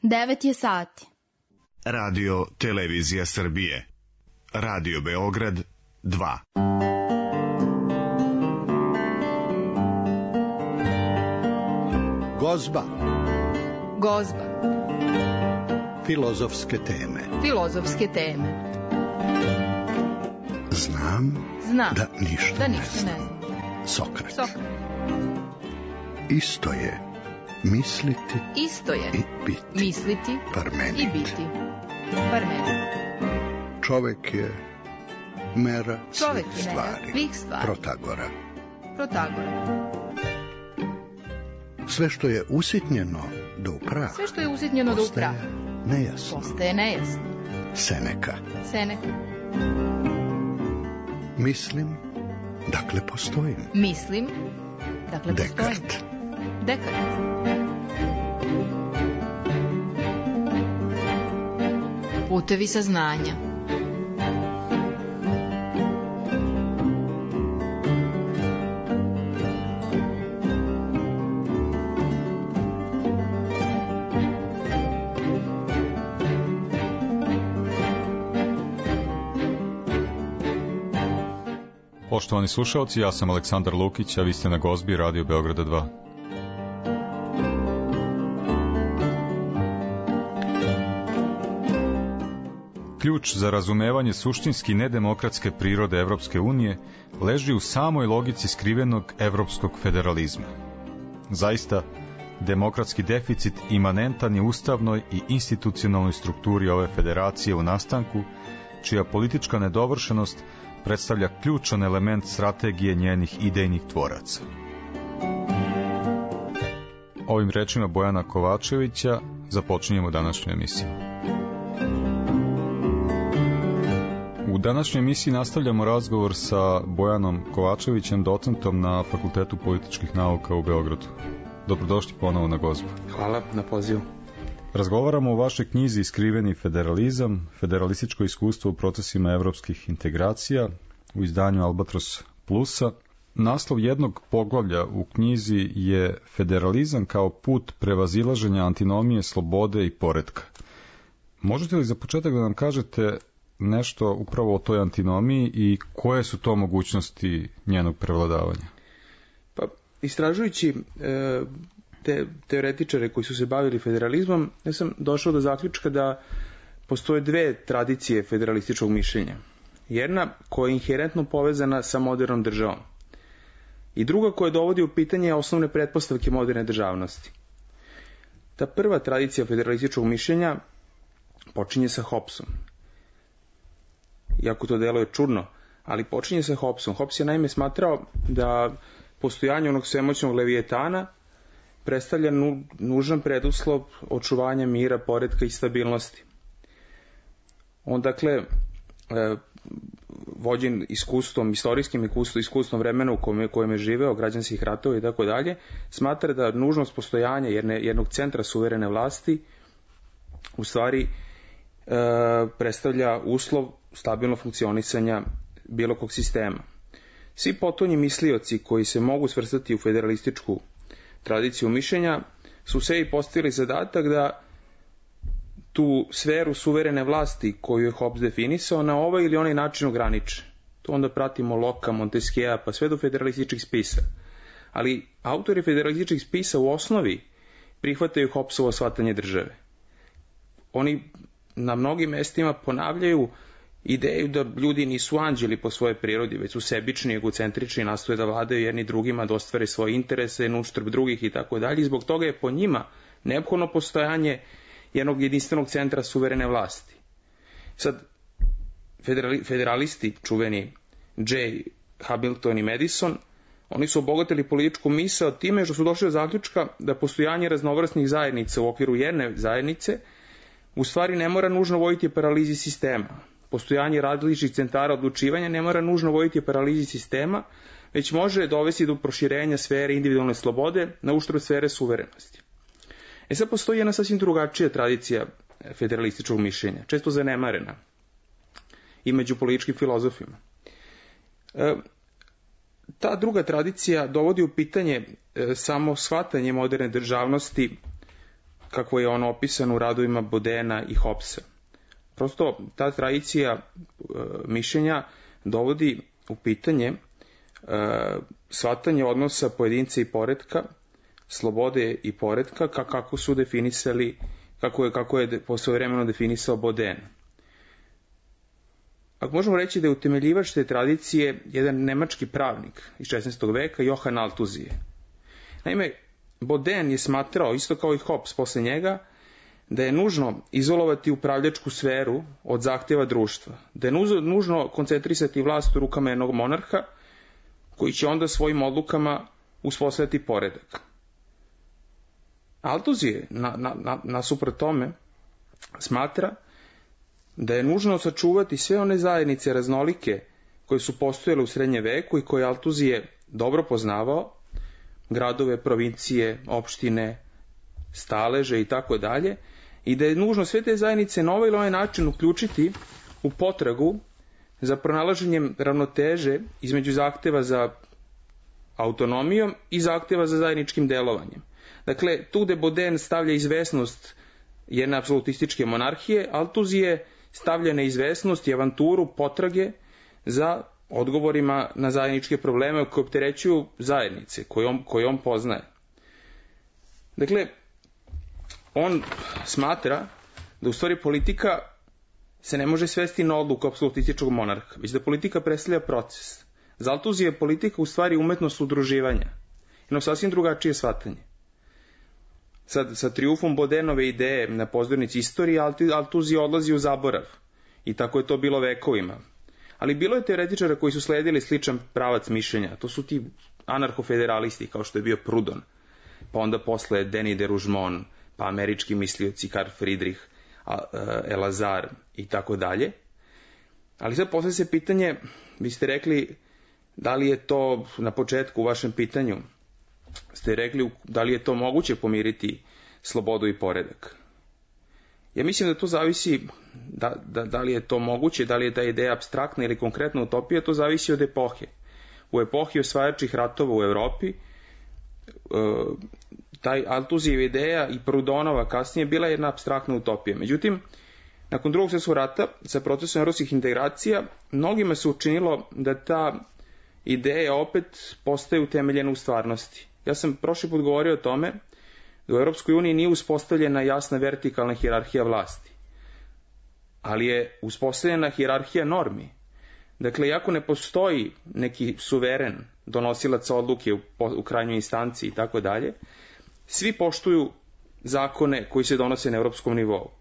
9 je sati. Radio Televizija Srbije. Radio Beograd 2. Gozba. Gozba. Filozofske teme. Filozofske teme. Znam da ništa ne znam. Sokrat. Isto je misliti i biti. Misliti Parmenid. i biti. Parmenid. Čovek je mera Čovek svih je mera svih stvari. Protagora. Sve što je usitnjeno do upraha. Postaje nejasno. Seneka. Mislim, dakle postojim. Dekart. Putevi saznanja. Poštovani slušalci, ja sam Aleksandar Lukić, a vi ste na Gozbi Radio Beograda 2. Ključ za razumevanje suštinski nedemokratske prirode Evropske unije leži u samoj logici skrivenog evropskog federalizma. Zaista, demokratski deficit imanentan je ustavnoj i institucionalnoj strukturi ove federacije u nastanku, čija politička nedovršenost predstavlja ključan element strategije njenih idejnih tvoraca. Ovim rečima Bojana Kovačevića započinjemo današnju emisiju. U današnjoj emisiji nastavljamo razgovor sa Bojanom Kovačevićem, docentom na Fakultetu političkih nauka u Beogradu. Dobrodošli ponovo na Gozbu. Hvala na pozivu. Razgovaramo o vašoj knjizi Skriveni federalizam, federalističko iskustvo u procesima evropskih integracija u izdanju Albatros Plusa. Naslov jednog poglavlja u knjizi je Federalizam kao put prevazilaženja antinomije, slobode i poretka. Možete li za početak da nam kažete nešto upravo o toj antinomiji i koje su to mogućnosti njenog prevladavanja? Pa, istražujući te teoretičare koji su se bavili federalizmom, ja sam došao do zaključka da postoje dve tradicije federalističkog mišljenja. Jedna koja je inherentno povezana sa modernom državom i druga koja dovodi u pitanje osnovne pretpostavke moderne državnosti. Ta prva tradicija federalističkog mišljenja počinje sa Hobbesom. Iako to deluje čudno, ali počinje sa Hobbesom. Hobbes je naime smatrao da postojanje onog svemoćnog levijetana predstavlja nužan preduslov očuvanja mira, poretka i stabilnosti. On, dakle, vođen iskustvom, istorijskim iskustvom vremena u kojem je živeo, građanskih ratova i tako dalje, smatra da nužnost postojanja jednog centra suverene vlasti u stvari predstavlja uslov stabilnog funkcionisanja bilo kog sistema. Svi potonji mislioci koji se mogu svrstati u federalističku tradiciju mišljenja su sebi postavili zadatak da tu sferu suverene vlasti koju je Hobbes definisao na ovaj ili onaj način ograniče. To onda pratimo Locke, Montesquieu pa sve do federalističkih spisa. Ali autori federalističkih spisa u osnovi prihvataju Hobbesovo shvatanje države. Oni na mnogim mestima ponavljaju ideju da ljudi nisu anđeli po svojoj prirodi, već su sebični, egocentrični, nastoje da vladaju jedni drugima, da ostvare svoje interese, na uštrb drugih i tako dalje. I zbog toga je po njima neophodno postojanje jednog jedinstvenog centra suverene vlasti. Sad, federalisti, čuveni Jay, Hamilton i Madison, oni su obogatili političku misao time što su došli do zaključka da postojanje raznovrsnih zajednica u okviru jedne zajednice u stvari ne mora nužno voditi paralizi sistema. Postojanje različitih centara odlučivanja ne mora nužno voditi paralizi sistema, već može dovesti do proširenja sfere individualne slobode na uštrb sfere suverenosti. Sad postoji jedna sasvim drugačija tradicija federalističkog mišljenja, često zanemarena i među političkim filozofima. Ta druga tradicija dovodi u pitanje samo shvatanje moderne državnosti kako je ono opisano u radovima Bodena i Hobbesa. Prosto ta tradicija mišljenja dovodi u pitanje shvatanje odnosa pojedinca i poretka, slobode i poretka, kako su definisali, kako je svojevremeno definisao Boden. Ako možemo reći da je utemeljivač te tradicije jedan nemački pravnik iz 16. veka, Johann Althusser. Naime, Boden je smatrao, isto kao i Hobbes posle njega, da je nužno izolovati upravljačku sferu od zahtjeva društva, da je nužno koncentrisati vlast u rukama jednog monarha, koji će onda svojim odlukama uspostaviti poredak. Althusser, nasuprot tome, smatra da je nužno sačuvati sve one zajednice raznolike koje su postojale u srednjem veku i koje Althusser dobro poznavao, gradove, provincije, opštine, staleže i tako dalje, i da je nužno sve te zajednice na ovaj ili onaj način uključiti u potragu za pronalaženjem ravnoteže između zahteva za autonomijom i zahteva za zajedničkim delovanjem. Dakle, tu gde Boden stavlja izvesnost jedne apsolutističke monarhije, Althusser stavlja neizvesnost i avanturu potrage za odgovorima na zajedničke probleme koje opterećuju zajednice koje on poznaje. Dakle, on smatra da u stvari politika se ne može svesti na odluku apsolutističkog monarha, već da politika predstavlja proces. Za Althusser je politika u stvari umetnost udruživanja, jedno sasvim drugačije shvatanje. Sad, sa trijumfom Bodenove ideje na pozornici istorije, Althusser odlazi u zaborav. I tako je to bilo vekovima. Ali bilo je teoretičara koji su sledili sličan pravac mišljenja. To su ti anarhofederalisti, kao što je bio Proudhon, pa onda posle Denis de Rougemont, pa američki mislioci Karl Friedrich, Elazar i tako dalje. Ali sad posle se pitanje, vi ste rekli, da li je to na početku u vašem pitanju, ste rekli da li je to moguće pomiriti slobodu i poredak. Ja mislim da to zavisi, da li je to moguće, da li je ta ideja apstraktna ili konkretna utopija, to zavisi od epohe. U epohi osvajačih ratova u Evropi, taj Althusserova ideja i Proudhonova kasnije bila je jedna apstraktna utopija. Međutim, nakon drugog svjetskog rata, sa procesom evropskih integracija, mnogima se učinilo da ta ideja opet postaje utemeljena u stvarnosti. Ja sam prošli put govorio o tome da u Europskoj uniji nije uspostavljena jasna vertikalna hijerarhija vlasti, ali je uspostavljena hijerarhija normi. Dakle, iako ne postoji neki suveren donosilac odluke u krajnjoj instanciji i tako dalje, svi poštuju zakone koji se donose na europskom nivou.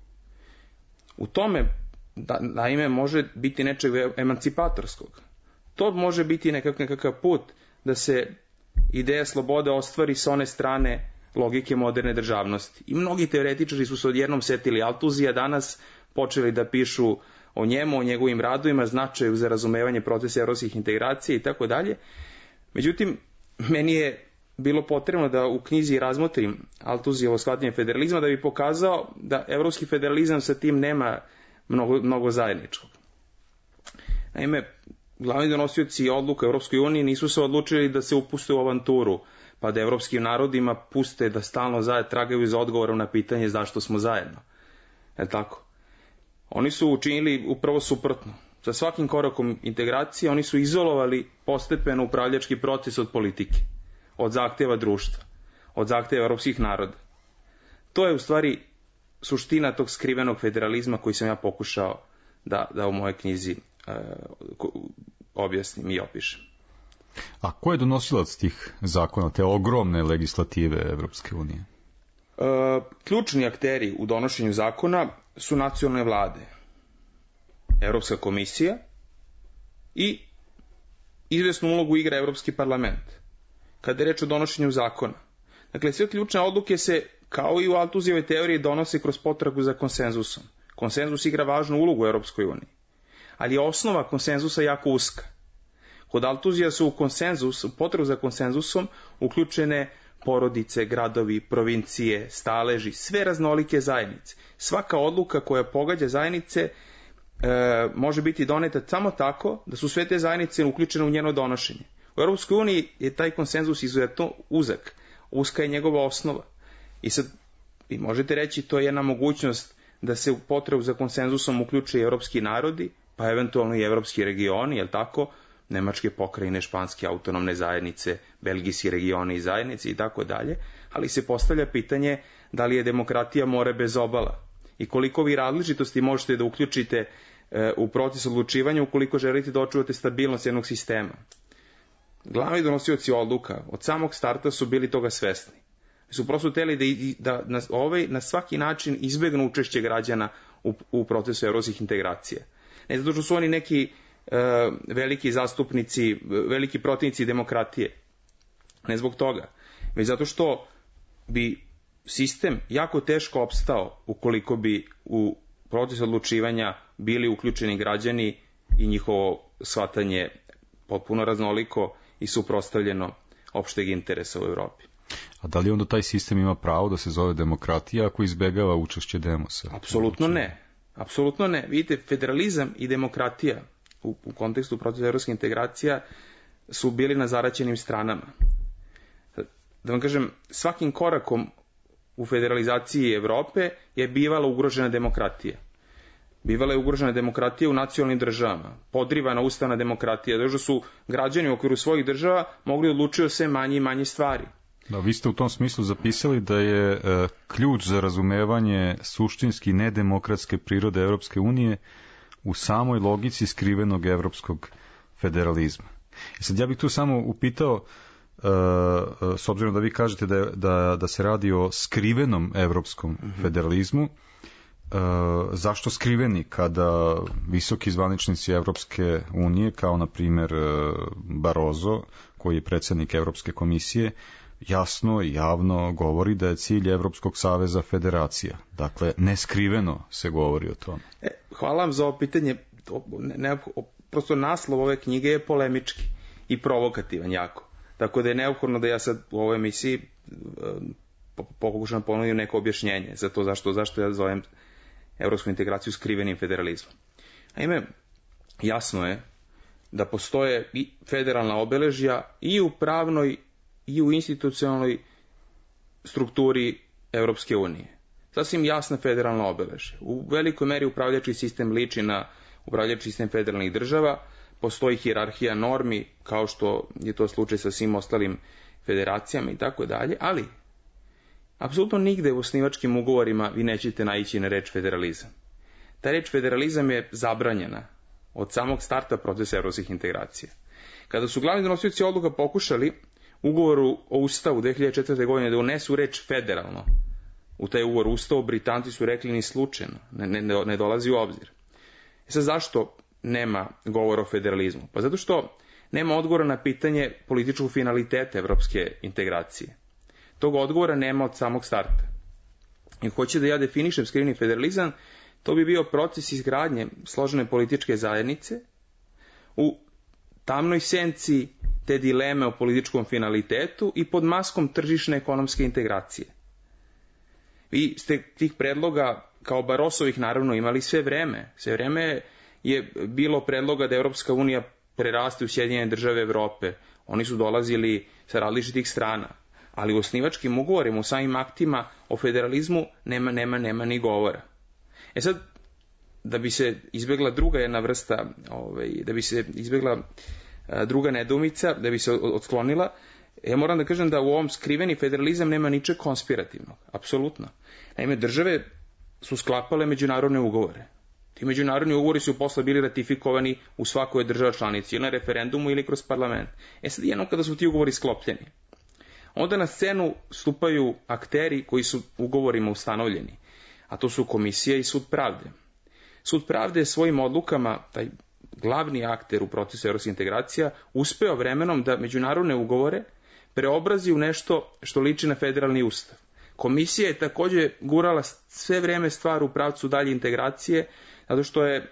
U tome, naime, može biti nečeg emancipatorskog. To može biti nekakav put da se ideja slobode ostvari sa one strane logike moderne državnosti. I mnogi teoretičari su se odjednom setili Althusserja, danas počeli da pišu o njemu, o njegovim radovima, značaju za razumevanje procesa evropskih integracija i tako dalje. Međutim, meni je bilo potrebno da u knjizi razmotrim Althusserjevo shvatanje federalizma da bi pokazao da evropski federalizam sa tim nema mnogo zajedničkog. Naime, glavni donosioci odluka Evropskoj uniji nisu se odlučili da se upuste u avanturu, pa da evropskim narodima puste da stalno tragaju za odgovorom na pitanje zašto smo zajedno. Je tako? Oni su učinili upravo suprotno. Sa svakim korakom integracije oni su izolovali postepeno upravljački proces od politike, od zahtjeva društva, od zahtjeva evropskih naroda. To je u stvari suština tog skrivenog federalizma koji sam ja pokušao da u mojoj knjizi objasnim i opišem. A ko je donosilac tih zakona, te ogromne legislative Evropske unije? Ključni akteri u donošenju zakona su nacionalne vlade, Evropska komisija i izvesnu ulogu igra Evropski parlament, kada je reč o donošenju zakona. Dakle, sve ključne odluke se, kao i u Althusserjevoj teoriji, donose kroz potragu za konsenzusom. Konsenzus igra važnu ulogu u Evropskoj uniji, ali je osnova konsenzusa jako uska. Kod Althusserja su u potragu za konsenzusom uključene porodice, gradovi, provincije, staleži, sve raznolike zajednice. Svaka odluka koja pogađa zajednice može biti doneta samo tako da su sve te zajednice uključene u njeno donošenje. U Europskoj uniji je taj konsenzus izuzetno uzak. Uska je njegova osnova. I sad Vi možete reći to je jedna mogućnost da se u potrebu za konsenzusom uključe i evropski narodi, pa eventualno i evropski regioni, jel tako, nemačke pokrajine, španske autonomne zajednice, belgijski regioni i zajednice i tako dalje, ali se postavlja pitanje da li je demokratija more bez obala i koliko vi različitosti možete da uključite u proces odlučivanja ukoliko želite da očuvate stabilnost jednog sistema. Glavni donosioci odluka od samog starta su bili toga svesni. Su prosto hteli da na svaki način izbegnu učešće građana u procesu evropskih integracija. Ne zato što su oni neki veliki zastupnici, veliki protivnici demokratije. Ne zbog toga. Već zato što bi sistem jako teško opstao ukoliko bi u proces odlučivanja bili uključeni građani i njihovo shvatanje potpuno raznoliko i suprotstavljeno opšteg interesa u Evropi. A da li onda taj sistem ima pravo da se zove demokratija ako izbegava učešće demosa? Apsolutno ne. Apsolutno ne. Vidite, federalizam i demokratija u kontekstu procesa evropskih integracija su bili na zaraćenim stranama. Da vam kažem, svakim korakom u federalizaciji Evrope je bivala ugrožena demokratija. Bivala je ugrožena demokratija u nacionalnim državama, podrivana ustavna demokratija, zato što su građani u okviru svojih država mogli odlučiti o sve manje i manje stvari. Da, vi ste u tom smislu zapisali da je ključ za razumevanje suštinski nedemokratske prirode Evropske unije u samoj logici skrivenog evropskog federalizma. I sad ja bih tu samo upitao, s obzirom da vi kažete da se radi o skrivenom evropskom federalizmu, zašto skriveni kada visoki zvaničnici Evropske unije, kao na primjer Barroso, koji je predsjednik Evropske komisije, jasno i javno govori da je cilj Evropskog saveza federacija. Dakle, neskriveno se govori o tome. Hvala vam za ovo pitanje. Prosto naslov ove knjige je polemički i provokativan jako. Tako da je neophodno da ja sad u ovoj emisiji pokušam ponudim neko objašnjenje za to zašto ja zovem evropsku integraciju skrivenim federalizmom. Naime, jasno je da postoje i federalna obeležja i u pravnoj i u institucionalnoj strukturi Evropske unije. Sasvim jasna federalna obeležja. U velikoj meri upravljački sistem liči na upravljački sistem federalnih država, postoji hijerarhija normi, kao što je to slučaj sa svim ostalim federacijama i tako dalje, ali apsolutno nigde u osnivačkim ugovorima vi nećete naići na reč federalizam. Ta reč federalizam je zabranjena od samog starta procesa evropskih integracija. Kada su glavni donosioci odluka pokušali ugovoru o Ustavu 2004. godine da unesu reč federalno u taj ugovor Ustavu, Britanci su rekli ni slučajno, ne dolazi u obzir. Sad zašto nema govora o federalizmu? Pa zato što nema odgovora na pitanje političkog finaliteta evropske integracije. Tog odgovora nema od samog starta. I hoće da ja definišem skriveni federalizam, to bi bio proces izgradnje složene političke zajednice u tamnoj senci te dileme o političkom finalitetu i pod maskom tržišne ekonomske integracije. Vi ste tih predloga, kao Barosovih naravno, imali sve vreme. Sve vreme je bilo predloga da Evropska unija preraste u Sjedinjene države Evrope. Oni su dolazili sa različitih strana. Ali u osnivačkim ugovorima, u samim aktima o federalizmu nema ni govora. Sad, da bi se izbjegla druga jedna vrsta, da bi se izbjegla druga nedoumica, da bi se otklonila, ja moram da kažem da u ovom skriveni federalizam nema ničeg konspirativnog. Apsolutno. Naime, države su sklapale međunarodne ugovore. Ti međunarodni ugovori su posle bili ratifikovani u svakoj državi članici, ili na referendumu ili kroz parlament. Sad jednom kada su ti ugovori sklopljeni, onda na scenu stupaju akteri koji su ugovorima ustanovljeni, a to su komisija i sud pravde. Sud pravde je svojim odlukama, taj glavni akter u procesu evropskih integracija, uspeo vremenom da međunarodne ugovore preobrazi u nešto što liči na federalni ustav. Komisija je također gurala sve vreme stvar u pravcu dalje integracije, zato što je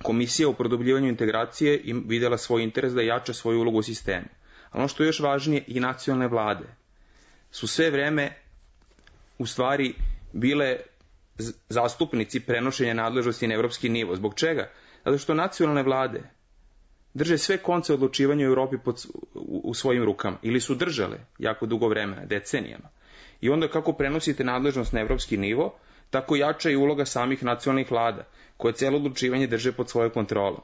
komisija u produbljivanju integracije vidjela svoj interes da jača svoju ulogu u sistemu. A ono što je još važnije, i nacionalne vlade su sve vreme u stvari bile zastupnici prenošenja nadležnosti na evropski nivo. Zbog čega? Zato što nacionalne vlade drže sve konce odlučivanja u Europi u svojim rukama. Ili su držale jako dugo vremena, decenijama. I onda kako prenosite nadležnost na evropski nivo, tako jača i uloga samih nacionalnih vlada, koje celo odlučivanje drže pod svojoj kontrolom.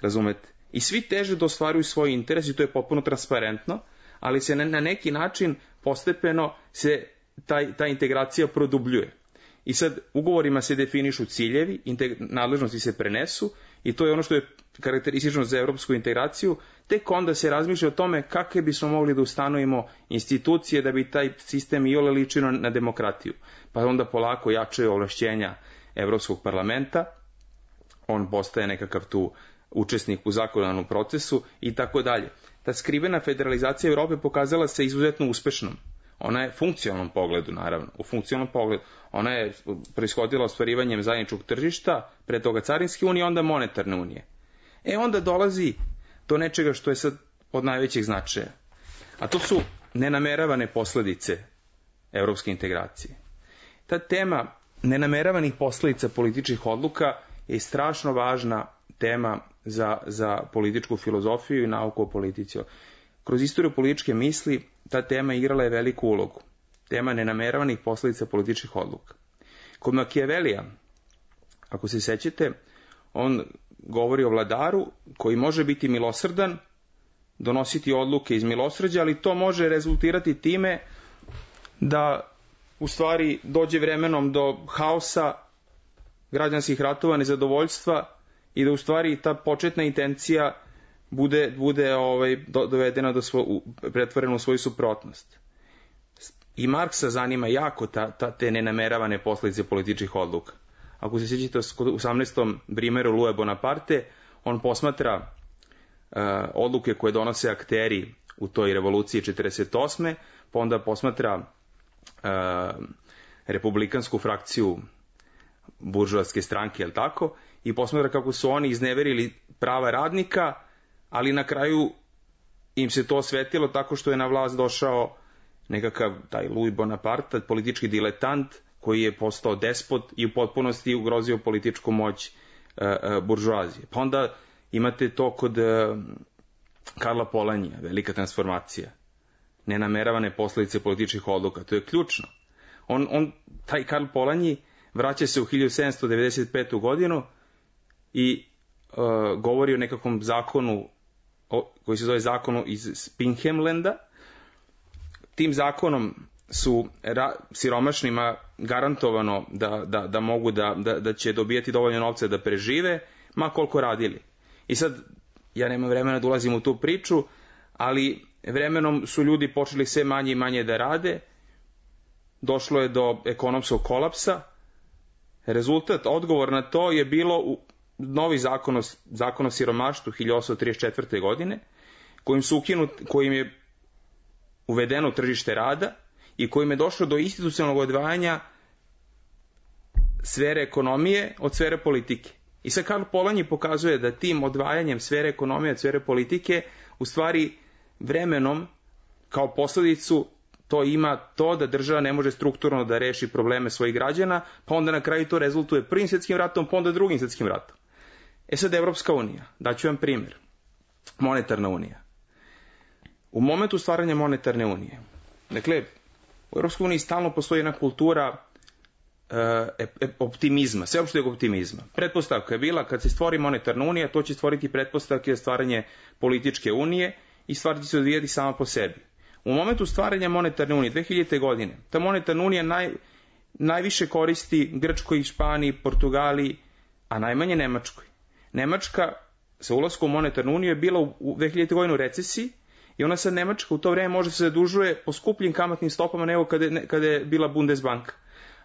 Razumete? I svi teže da ostvaruju svoj interes i to je potpuno transparentno, ali se na neki način postepeno se ta integracija produbljuje. I sad ugovorima se definišu ciljevi, nadležnosti se prenesu i to je ono što je karakteristično za evropsku integraciju, tek onda se razmišlja o tome kakve bismo mogli da ustanovimo institucije da bi taj sistem iole ličio na demokratiju. Pa onda polako jačaju ovlašćenja Evropskog parlamenta, on postaje nekakav tu učesnik u zakonodavnom procesu i tako dalje. Ta skrivena federalizacija Evrope pokazala se izuzetno uspešnom. Ona je funkcionalnom pogledu, naravno, u funkcionalnom pogledu. Ona je proishodila ostvarivanjem zajedničkog tržišta, pre toga carinske unije, onda monetarne unije. Onda dolazi do nečega što je sad od najvećeg značaja. A to su nenameravane posledice evropske integracije. Ta tema nenameravanih posledica političkih odluka je strašno važna tema za političku filozofiju i nauku o politici. Kroz istoriju političke misli ta tema igrala je veliku ulogu. Tema nenameravanih posledica političkih odluka. Kod Machiavellija, ako se sećate, on govori o vladaru koji može biti milosrdan, donositi odluke iz milosrđa, ali to može rezultirati time da u stvari dođe vremenom do haosa, građanskih ratova, nezadovoljstva i da u stvari ta početna intencija bude dovedena pretvorena u svoju suprotnost. I Marksa zanima jako te nenameravane posledice političkih odluka. Ako se sjećate u 18. Brimeru Louis Bonaparte, on posmatra odluke koje donose akteri u toj revoluciji 48. pa onda posmatra republikansku frakciju buržoaske stranke, jel tako, i posmatra kako su oni izneverili prava radnika, ali na kraju im se to osvetilo tako što je na vlast došao nekakav taj Louis Bonaparte, politički diletant, koji je postao despot i u potpunosti ugrozio političku moć buržoazije. Pa onda imate to kod Karla Polanjija, velika transformacija, nenameravane posledice političkih odluka, to je ključno. Taj Karl Polanyi vraća se u 1795. godinu i govori o nekakvom zakonu koji se zove zakonu iz Spinheimlanda. Tim zakonom su siromašnima garantovano da mogu da će dobijati dovoljno novca da prežive, ma koliko radili. I sad, ja nemam vremena da ulazim u tu priču, ali vremenom su ljudi počeli sve manje i manje da rade, došlo je do ekonomskog kolapsa. Rezultat, odgovor na to je bilo novi zakon o siromaštvu 1834. godine, kojim je uvedeno tržište rada i kojim je došlo do institucionalnog odvajanja sfere ekonomije od sfere politike. I sad Karl Polanyi pokazuje da tim odvajanjem sfere ekonomije od sfere politike u stvari vremenom kao posledicu to ima to da država ne može strukturno da reši probleme svojih građana, pa onda na kraju to rezultuje Prvim svjetskim ratom, pa onda Drugim svjetskim ratom. Sad Evropska unija, daću vam primjer. Monetarna unija. U momentu stvaranja monetarne unije, dakle, u Evropskoj uniji stalno postoji jedna kultura optimizma, sveopšteg optimizma. Pretpostavka je bila kad se stvori monetarna unija, to će stvoriti pretpostavke za stvaranje političke unije i stvar će se odvijati sama po sebi. U momentu stvaranja monetarne unije, 2000. godine, ta monetarna unija najviše koristi Grčkoj, Španiji, Portugaliji, a najmanje Nemačkoj. Nemačka sa ulaskom u monetarnu uniju je bila u 2000. godinu u recesiji i ona sad Nemačka u to vreme može se zadužuje po skupljim kamatnim stopama nego kada je bila Bundesbanka.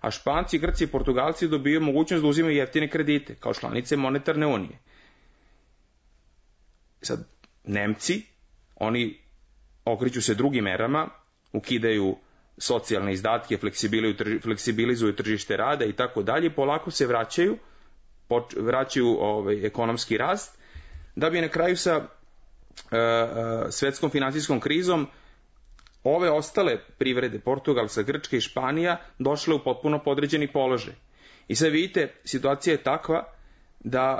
A Španci, Grci i Portugalci dobiju mogućnost da uzimaju jeftine kredite kao članice monetarne unije. Sad, Nemci, oni okreću se drugim merama, ukidaju socijalne izdatke, fleksibilizuju tržište rada i tako dalje, polako se vraćaju ekonomski rast, da bi na kraju sa svetskom finansijskom krizom ove ostale privrede, Portugalska, Grčka i Španija, došle u potpuno podređeni položaj. I sad vidite, situacija je takva da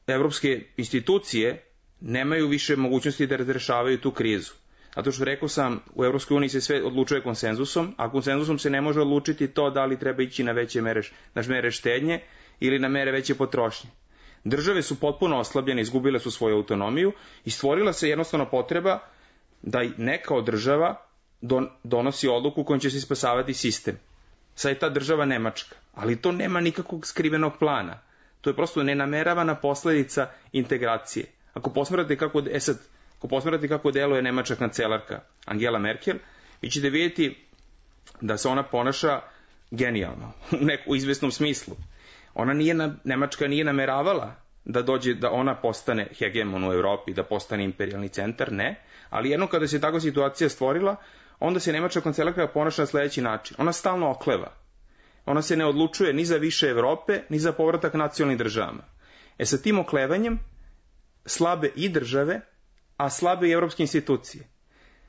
evropske institucije nemaju više mogućnosti da razrešavaju tu krizu. Zato što rekao sam, u EU se sve odlučuje konsenzusom, a konsenzusom se ne može odlučiti to da li treba ići na veće mere štednje ili na mere veće potrošnje. Države su potpuno oslabljene, izgubile su svoju autonomiju i stvorila se jednostavno potreba da neka od država donosi odluku kojom će se spasavati sistem. Sad je ta država Nemačka, ali to nema nikakvog skrivenog plana. To je prosto nenameravana posledica integracije. Ako posmatrate kako deluje nemačka kancelarka Angela Merkel, vi ćete vidjeti da se ona ponaša genijalno, u izvesnom smislu. Nemačka nije nameravala da ona postane hegemon u Evropi, da postane imperijalni centar, ne, ali jedno kada se takva situacija stvorila, onda se nemačka kancelarka ponaša na sledeći način. Ona stalno okleva. Ona se ne odlučuje ni za više Evrope, ni za povratak nacionalnim državama. Sa tim oklevanjem slabe i države, a slabe i evropske institucije.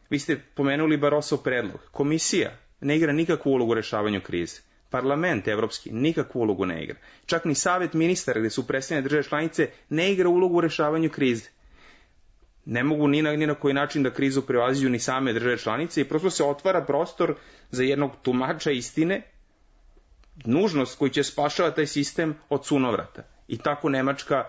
Vi ste pomenuli Barosov predlog. Komisija ne igra nikakvu ulogu u rešavanju krize. Parlament evropski nikakvu ulogu ne igra. Čak ni Savet ministara, gde su predstavljene države članice, ne igra ulogu u rešavanju krize. Ne mogu ni na koji način da krizu prevaziđu ni same države članice i prosto se otvara prostor za jednog tumača istine, nužnost koji će spašavati taj sistem od sunovrata. I tako Nemačka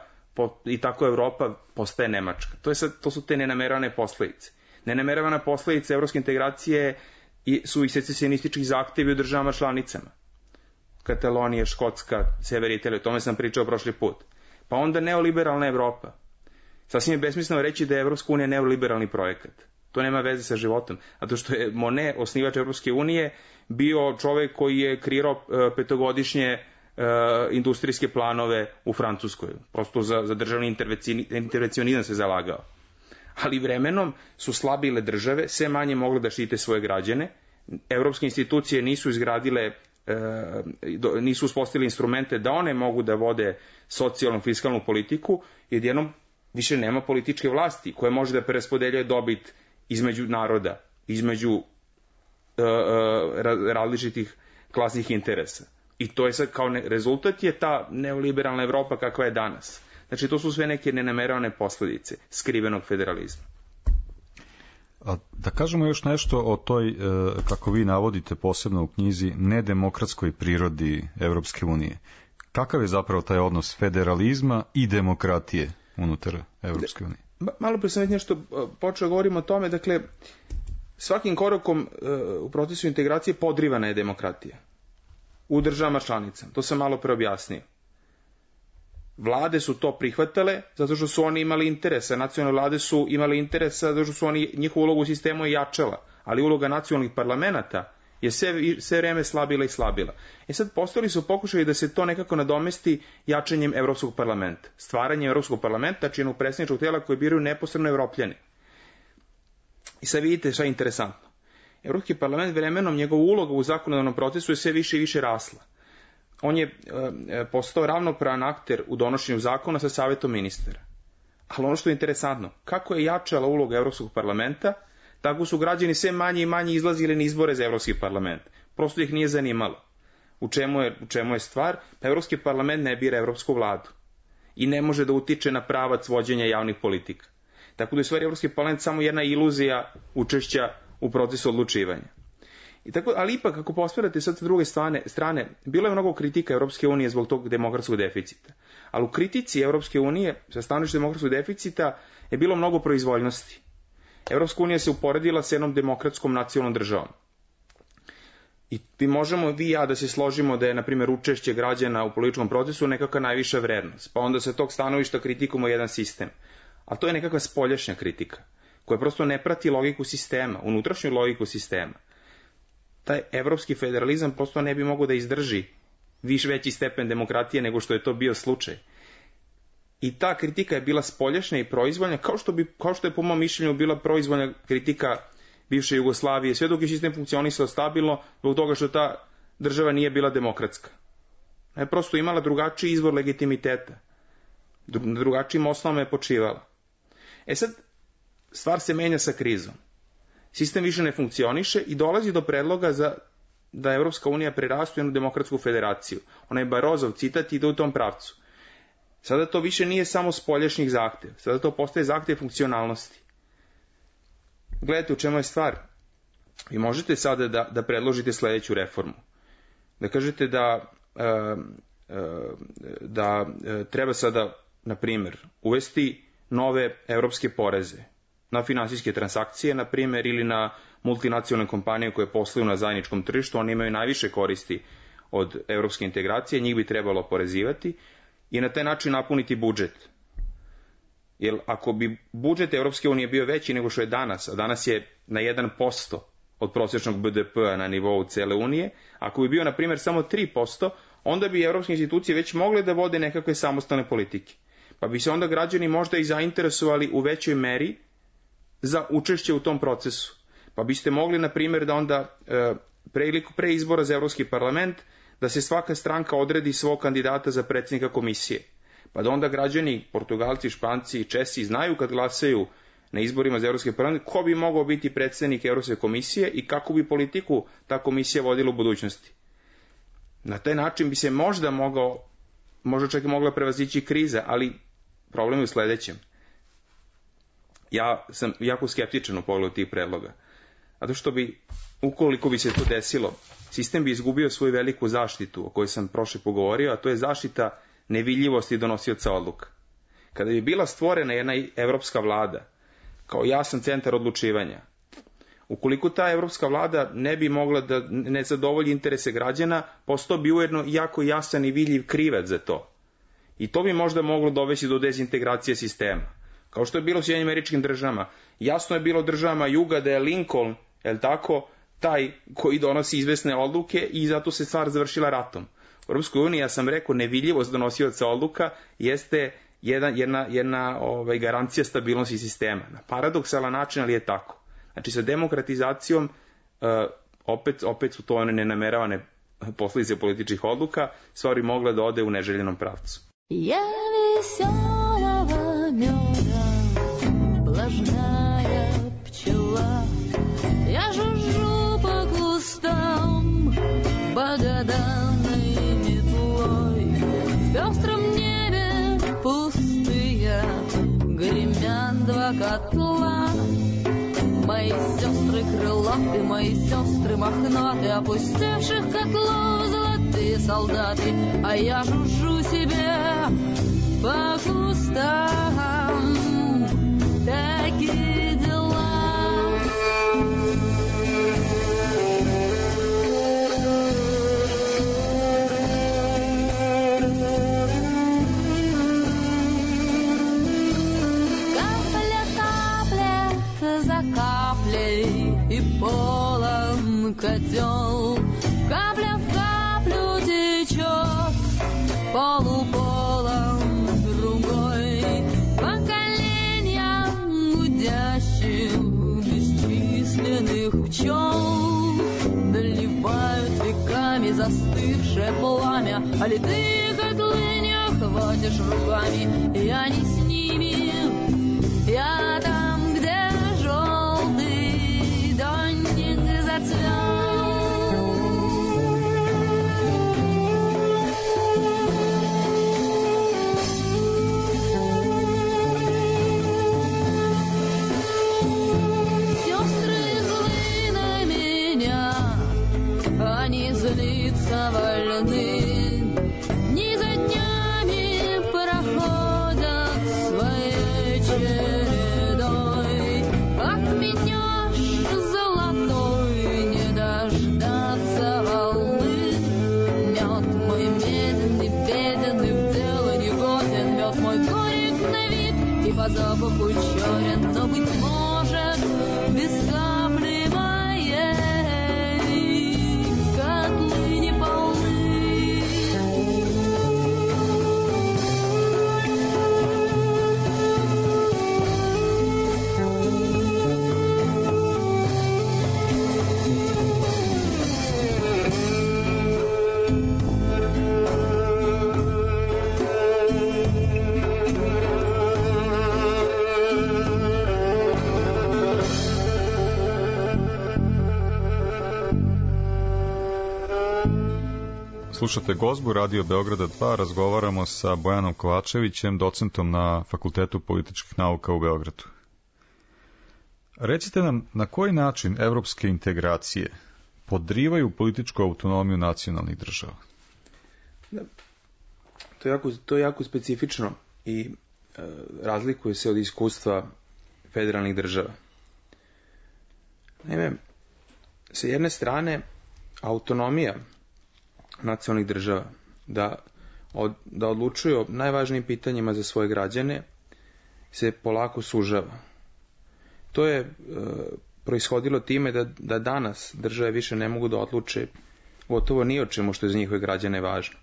i tako Evropa postaje Nemačka. To su te nenameravane posledice. Nenameravana posledica evropske integracije su i secesionističkih zahtevi u državama članicama. Katalonija, Škotska, Sever Italija, o tome sam pričao prošli put. Pa onda neoliberalna Evropa. Sasvim je besmisleno reći da je Evropska unija neoliberalni projekat. To nema veze sa životom. Zato što je Monet, osnivač Evropske unije, bio čovek koji je kreirao petogodišnje industrijske planove u Francuskoj. Prosto za državni intervencionizam se zalagao. Ali vremenom su slabile države, sve manje mogle da štite svoje građane. Evropske institucije nisu izgradile, nisu uspostavili instrumente da one mogu da vode socijalnu, fiskalnu politiku, jer jednom više nema političke vlasti koja može da preraspodeljuje dobit između naroda, između različitih klasnih interesa. I to je sad kao rezultat je ta neoliberalna Evropa kakva je danas. Znači to su sve neke nenameravane posledice skrivenog federalizma. A da kažemo još nešto o toj, kako vi navodite posebno u knjizi, nedemokratskoj prirodi Evropske unije. Kakav je zapravo taj odnos federalizma i demokratije unutar Evropske unije? Malo pre sam već nešto počeo govorimo o tome, dakle, svakim korakom u procesu integracije podrivana je demokratija u državama članicama. To sam malo pre objasnio. Vlade su to prihvatale zato što su oni imali interesa, nacionalne vlade su imali interesa zato što su oni, njihovu ulogu u sistemu je jačala, ali uloga nacionalnih parlamenta je sve vreme slabila i slabila. Sad postojali su pokušali da se to nekako nadomesti jačanjem Evropskog parlamenta, stvaranjem Evropskog parlamenta, čijeg predstavničkog tela koje biraju neposredno Evropljani. I sad vidite šta je interesantno. Evropski parlament vremenom, njegova uloga u zakonodavnom procesu je sve više i više rasla. On je postao ravnopravan akter u donošenju zakona sa Savetom ministara. Ali ono što je interesantno, kako je jačala uloga Evropskog parlamenta, tako su građani sve manje i manje izlazili na izbore za Evropski parlament. Prosto ih nije zanimalo. U čemu je stvar? Pa Evropski parlament ne bira Evropsku vladu i ne može da utiče na pravac vođenja javnih politika. Tako da je stvari Evropski parlament samo jedna iluzija učešća u procesu odlučivanja. Ali ipak, ako posmerate sad sa druge strane, bilo je mnogo kritika Evropske unije zbog tog demokratskog deficita. Ali u kritici Evropske unije, sa stanovišta demokratskog deficita, je bilo mnogo proizvoljnosti. Evropska unija se uporedila sa jednom demokratskom nacionalnom državom. I možemo vi i ja da se složimo da je, na primjer, učešće građana u političkom procesu nekakva najviša vrednost. Pa onda sa tog stanovišta kritikujemo jedan sistem. A to je nekakva spoljašnja kritika, koja prosto ne prati logiku sistema, unutrašnju logiku sistema. Taj evropski federalizam prosto ne bi mogao da izdrži veći stepen demokratije nego što je to bio slučaj. I ta kritika je bila spoljašnja i proizvoljna, kao što je po mom mišljenju bila proizvoljna kritika bivše Jugoslavije, sve dok je sistem funkcionisao stabilno, zbog toga što ta država nije bila demokratska. Je prosto imala drugačiji izvor legitimiteta. Na drugačijim osnovama je počivala. Sad, stvar se menja sa krizom. Sistem više ne funkcioniše i dolazi do predloga da Evropska unija prerastu u jednu demokratsku federaciju. Onaj Barozov citat ide u tom pravcu. Sada to više nije samo spoljašnjih zahteva, sada to postaje zahtev funkcionalnosti. gledajte u čemu je stvar. Vi možete sada da predložite sledeću reformu. Da kažete da treba sada, na primjer, uvesti nove evropske poreze na finansijske transakcije, na primjer, ili na multinacionalne kompanije koje posluju na zajedničkom tržištu, oni imaju najviše koristi od evropske integracije, njih bi trebalo oporezivati i na taj način napuniti budžet. Jer ako bi budžet Evropske unije bio veći nego što je danas, a danas je na 1% od prosječnog BDP-a na nivou cele Unije, ako bi bio, na primjer, samo 3%, onda bi evropske institucije već mogle da vode nekakve samostalne politike. Pa bi se onda građani možda i zainteresovali u većoj meri za učešće u tom procesu. Pa biste mogli, na primjer, da onda pre izbora za Evropski parlament, da se svaka stranka odredi svog kandidata za predsjednika komisije. Pa da onda građani, Portugalci, Španci i Česi znaju kad glasaju na izborima za Evropski parlament ko bi mogao biti predsjednik Evropske komisije i kakvu bi politiku ta komisija vodila u budućnosti. Na taj način bi se možda čak i mogla prevazići kriza, ali problem je u sledećem. Ja sam jako skeptičan u pogledu tih predloga. Zato što ukoliko bi se to desilo, sistem bi izgubio svoju veliku zaštitu o kojoj sam prošle pogovorio, a to je zaštita nevidljivosti donosioca odluka. Kada bi bila stvorena jedna evropska vlada, kao jasan centar odlučivanja, ukoliko ta evropska vlada ne bi mogla da ne zadovolji interese građana, postao bi ujedno jako jasan i vidljiv krivac za to. I to bi možda moglo dovesti do dezintegracije sistema. Kao što je bilo u Sjedinjenim Američkim Državama. Jasno je bilo državama juga da je Lincoln, taj koji donosi izvesne odluke i zato se stvar završila ratom. U Europskoj uniji, ja sam rekao, nevidljivost donosioca odluka jeste jedna garancija stabilnosti sistema. Na paradoksalan način, ali je tako. Znači, sa demokratizacijom opet su to one nenameravane posljedice političkih odluka, stvari mogla da ode u neželjenom pravcu. Я веселого меда, влажная пчела, я жужжу по кустам богоданной метлой. В пестром небе пустые гремят два котла. Мои сестры крылатые, мои сестры мохнатые, опустевших котлов золотые солдаты, а я жужжу себе по кустам. Такие дела. И полон котел, капля в каплю течет, полуполон другой, поколениям гудящих бесчисленных пчел доливают веками застывшее пламя, а литые котлы не охватишь руками. Я не с ними, я там, где они злиться вольны, дни за днями проходят своей чередой. Отменешь золотой, не дождаться волны. Мед мой медленный, бедный, в дело не годен, мед мой горек на вид и по запаху черен, но, быть может, без капли моей котлы не полны. Slušate Gozbu, Radio Beograda 2, razgovaramo sa Bojanom Kovačevićem, docentom na Fakultetu političkih nauka u Beogradu. Recite nam na koji način evropske integracije podrivaju političku autonomiju nacionalnih država? Da. To je jako specifično i razlikuje se od iskustva federalnih država. Naime, sa jedne strane, autonomija nacionalnih država da odlučuju o najvažnijim pitanjima za svoje građane se polako sužava. To je proishodilo time da danas države više ne mogu da odluče gotovo ni o čemu što je za njihove građane važno.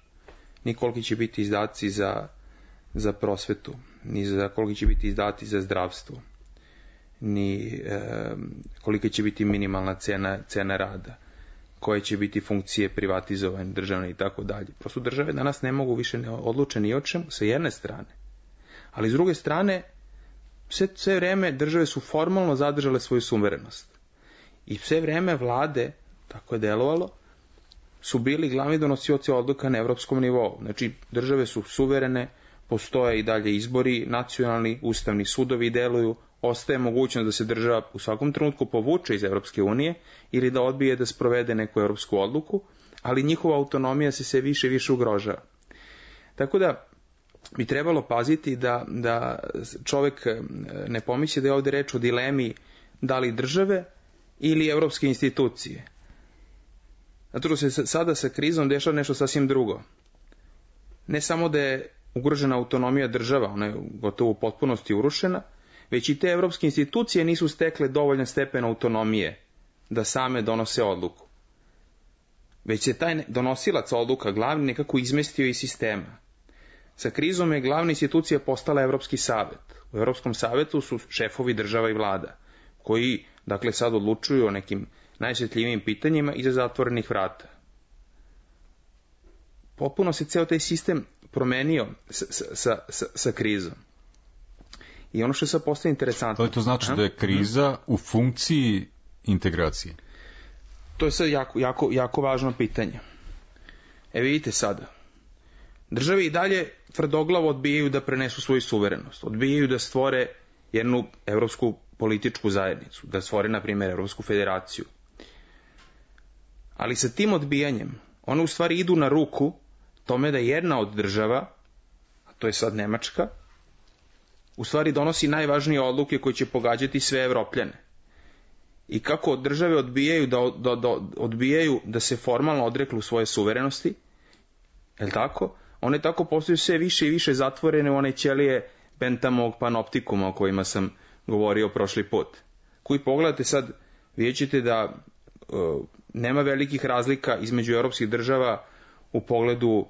Ni koliki će biti izdaci za prosvetu, ni koliki će biti izdaci za zdravstvo, ni kolika će biti minimalna cena rada, koje će biti funkcije privatizovane, državne i tako dalje. Prosto države danas ne mogu više ne odluče ni o čemu, sa jedne strane. Ali s druge strane, sve vreme države su formalno zadržale svoju suverenost. I sve vreme vlade, tako je delovalo, su bili glavni donosioci odluka na evropskom nivou. Znači, države su suverene, postoje i dalje izbori, nacionalni, ustavni sudovi deluju, ostaje mogućnost da se država u svakom trenutku povuče iz Evropske unije ili da odbije da sprovede neku evropsku odluku, ali njihova autonomija se sve više i više ugrožava. Tako da bi trebalo paziti da čovek ne pomisli da je ovde reč o dilemi da li države ili evropske institucije. Zato što se sada sa krizom dešava nešto sasvim drugo. Ne samo da je ugrožena autonomija država, ona je gotovo u potpunosti urušena, već i te evropske institucije nisu stekle dovoljan stepen autonomije da same donose odluku. Već se taj donosilac odluka glavni nekako izmestio iz sistema. Sa krizom je glavna institucija postala Evropski savet. U Evropskom savetu su šefovi država i vlada, koji, dakle, sad odlučuju o nekim najosjetljivijim pitanjima iza zatvorenih vrata. Potpuno se ceo taj sistem promenio sa krizom. I ono što je sad postaje interesantno... To znači da je kriza u funkciji integracije? To je sad jako važno pitanje. Vidite sada. Države i dalje tvrdoglavo odbijaju da prenesu svoju suverenost. Odbijaju da stvore jednu evropsku političku zajednicu. Da stvore, na primjer, Evropsku federaciju. Ali sa tim odbijanjem, one u stvari idu na ruku tome da jedna od država, a to je sad Nemačka, u stvari donosi najvažnije odluke koje će pogađati sve Evropljane. I kako države odbijaju da se formalno odreknu svoje suverenosti, je li tako? One tako postaju sve više i više zatvorene u one ćelije Benthamovog panoptikuma o kojima sam govorio prošli put. Koji pogledate sad, vidjet ćete da nema velikih razlika između europskih država u pogledu,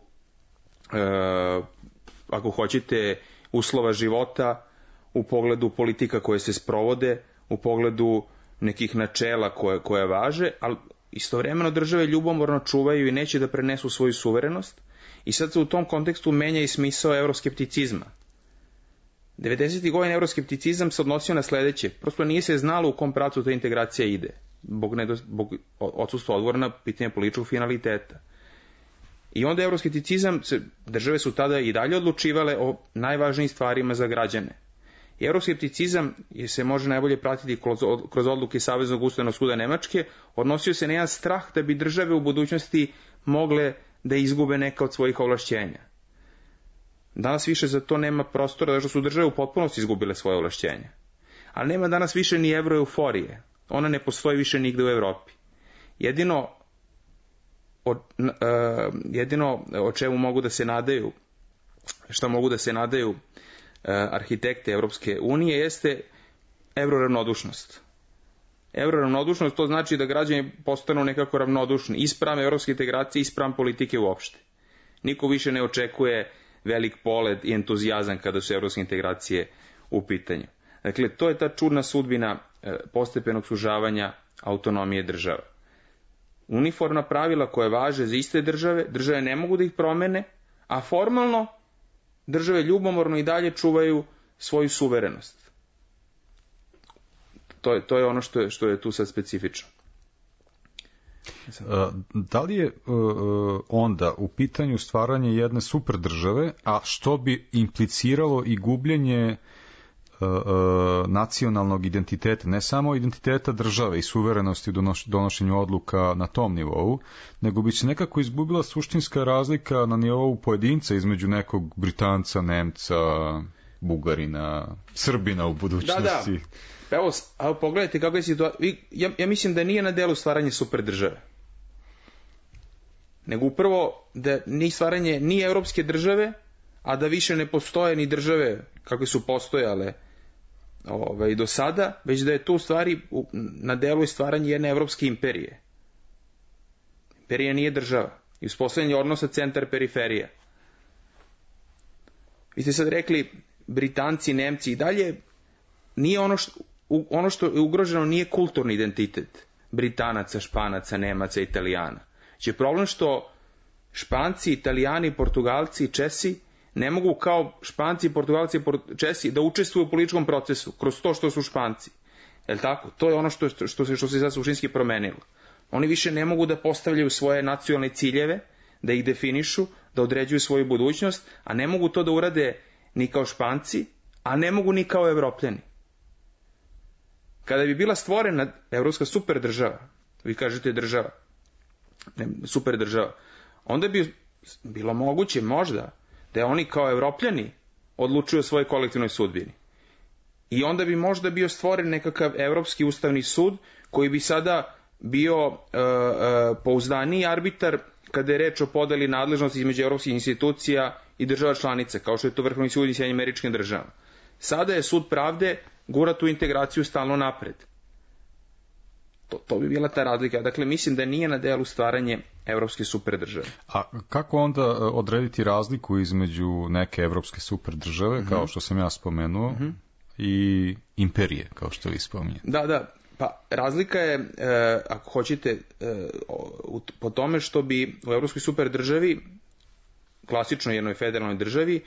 ako hoćete, uslova života, u pogledu politika koje se sprovode, u pogledu nekih načela koje važe, ali istovremeno države ljubomorno čuvaju i neće da prenesu svoju suverenost i sad se u tom kontekstu menja i smisao euroskepticizma. 90. godina euroskepticizam se odnosio na sledeće, prosto nije se znalo u kom pravcu ta integracija ide, zbog odsustva odgovora na pitanje političkog finaliteta. I onda euroskepticizam, države su tada i dalje odlučivale o najvažnijim stvarima za građane. I euroskepticizam se može najbolje pratiti kroz odluke Saveznog ustavnog suda Nemačke, odnosio se na jedan strah da bi države u budućnosti mogle da izgube neka od svojih ovlašćenja. Danas više za to nema prostora, zato što su države u potpunosti izgubile svoje ovlašćenja. Ali nema danas više ni evroeuforije. Ona ne postoji više nigde u Evropi. Jedino o čemu mogu da se nadaju, šta mogu da se nadaju arhitekte Evropske unije, jeste evroravnodušnost. Evroravnodušnost, to znači da građani postanu nekako ravnodušni i spram evropske integracije i spram politike uopšte. Niko više ne očekuje velik polet i entuzijazam kada su evropske integracije u pitanju. Dakle, to je ta čudna sudbina postepenog sužavanja autonomije država. Uniformna pravila koje važe za iste države ne mogu da ih promene, a formalno države ljubomorno i dalje čuvaju svoju suverenost. To je ono što je tu sad specifično. Da li je onda u pitanju stvaranje jedne super države, a što bi impliciralo i gubljenje nacionalnog identiteta, ne samo identiteta države i suverenosti u donošenju odluka na tom nivou, nego bi se nekako izgubila suštinska razlika na nivou pojedinca između nekog Britanca, Nemca, Bugarina, Srbina u budućnosti. Da. Evo, pogledajte kako je situacija. Ja mislim da nije na delu stvaranje super države. Nego upravo da nije stvaranje ni evropske države, a da više ne postoje ni države kakve su postojale do sada, već da je to u stvari na delu je stvaranje jedne evropske imperije. Imperija nije država. I uspostavljanje odnosa centar-periferija. Vi ste sad rekli Britanci, Nemci i dalje, nije ono što je ugroženo nije kulturni identitet Britanaca, Španaca, Nemaca, Italijana. Znači problem što Španci, Italijani, Portugalci i Česi ne mogu kao Španci, Portugalci i Česi da učestvuju u političkom procesu kroz to što su Španci. Jel' tako? To je ono što se sad suštinski promenilo. Oni više ne mogu da postavljaju svoje nacionalne ciljeve, da ih definišu, da određuju svoju budućnost, a ne mogu to da urade ni kao Španci, a ne mogu ni kao Evropljani. Kada bi bila stvorena evropska super država, vi kažete država, super država, onda bi bilo moguće možda da oni kao Evropljani odlučuju o svojoj kolektivnoj sudbini. I onda bi možda bio stvoren nekakav Evropski ustavni sud koji bi sada bio pouzdaniji arbitar kada je reč o podeli nadležnosti između evropskih institucija i država članica, kao što je to Vrhovni sud i Sjedinjenih Američkih Država. Sada je sud pravde gura tu integraciju stalno napred. To bi bila ta razlika. Dakle, mislim da nije na delu stvaranje evropske superdržave. A kako onda odrediti razliku između neke evropske superdržave, kao što sam ja spomenuo, i imperije, kao što vi spominjete? Da. Pa razlika je, ako hoćete, po tome što bi u evropskoj superdržavi, klasično jednoj federalnoj državi,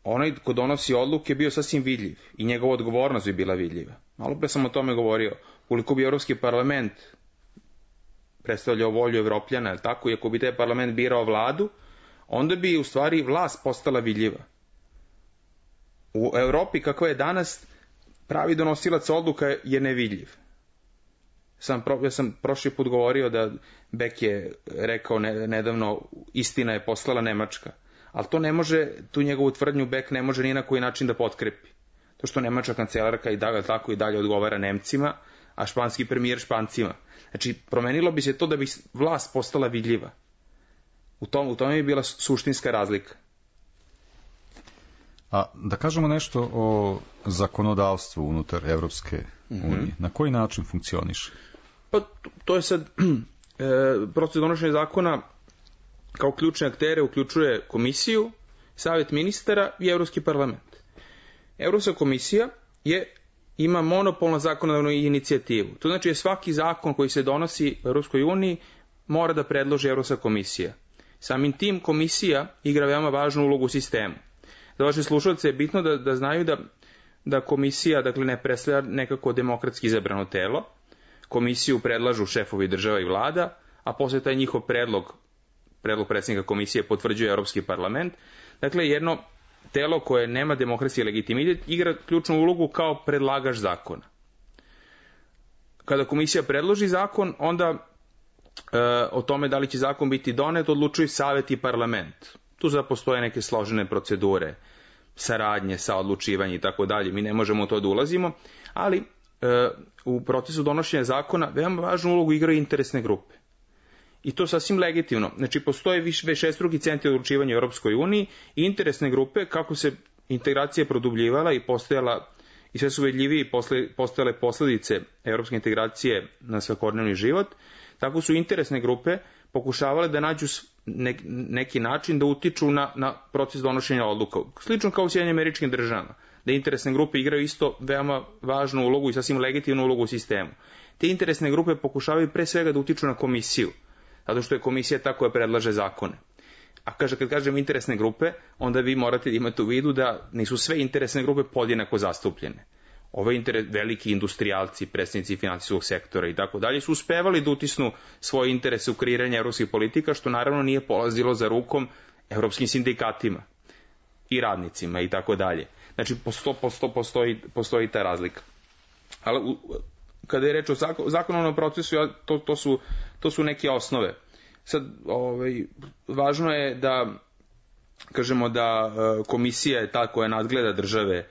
onaj ko donosi odluke bio sasvim vidljiv i njegova odgovornost bi bila vidljiva. Malo pre sam o tome govorio. Koliko bi Evropski parlament predstavljao volju Evropljana, tako, i ako bi taj parlament birao vladu, onda bi u stvari vlast postala vidljiva. U Evropi, kakva je danas, pravi donosilac odluka je nevidljiv. Ja sam prošli put govorio da Beck je rekao nedavno, istina je poslala Nemačka. Ali to ne može, tu njegovu tvrdnju Beck ne može ni na koji način da potkrepi. To što nemačka kancelarka i dalje odgovara Nemcima, a španski premijer Špancima. Znači, promenilo bi se to da bi vlast postala vidljiva. U tome bi bila suštinska razlika. A da kažemo nešto o zakonodavstvu unutar Evropske unije. Na koji način funkcioniše? Pa, to je sad proces donošenja zakona kao ključne aktere uključuje komisiju, savjet ministara i Evropski parlament. Evropska komisija ima monopol na zakonodavnu inicijativu. To znači da svaki zakon koji se donosi u Evropskoj uniji mora da predloži Evropska komisija. Samim tim komisija igra veoma važnu ulogu u sistemu. Za vaše slušalce je bitno da znaju da komisija, dakle, ne predstavlja nekako demokratski izabrano telo. Komisiju predlažu šefovi država i vlada, a posle taj njihov predlog predsjednika komisije potvrđuje Evropski parlament. Dakle, jedno telo koje nema demokratski legitimitet igra ključnu ulogu kao predlagač zakona. Kada komisija predloži zakon, onda o tome da li će zakon biti donet odlučuju savjet i parlament. Tu postoje neke složene procedure, saradnje sa odlučivanjem i tako dalje. Mi ne možemo u to da ulazimo, ali u procesu donošenja zakona veoma važnu ulogu igraju interesne grupe. I to sasvim legitimno. Znači, postoje višestruki centri odlučivanja u Europskoj uniji i interesne grupe, kako se integracija produbljivala i postojala, i sve su vidljivije i postojale posljedice europske integracije na svakodnevni život, tako su interesne grupe pokušavale da nađu neki način da utiču na proces donošenja odluka. Slično kao u Sjedinjenim Američkim Državama, da interesne grupe igraju isto veoma važnu ulogu i sasvim legitimnu ulogu u sistemu. Te interesne grupe pokušavaju pre svega da utiču na komisiju, zato što je komisija ta koja predlaže zakone. A kad kažem interesne grupe, onda vi morate imati u vidu da nisu sve interesne grupe podjednako zastupljene. Ove veliki industrijalci, predstavnici finansijskog sektora i tako dalje su uspevali da utisnu svoje interese u kreiranje evropskih politika, što naravno nije polazilo za rukom evropskim sindikatima. i radnicima i tako dalje. Znači, postoji ta razlika. Ali kada je reč o zakonodavnom procesu, to su neke osnove. Sad, važno je da kažemo da komisija je ta koja nadgleda države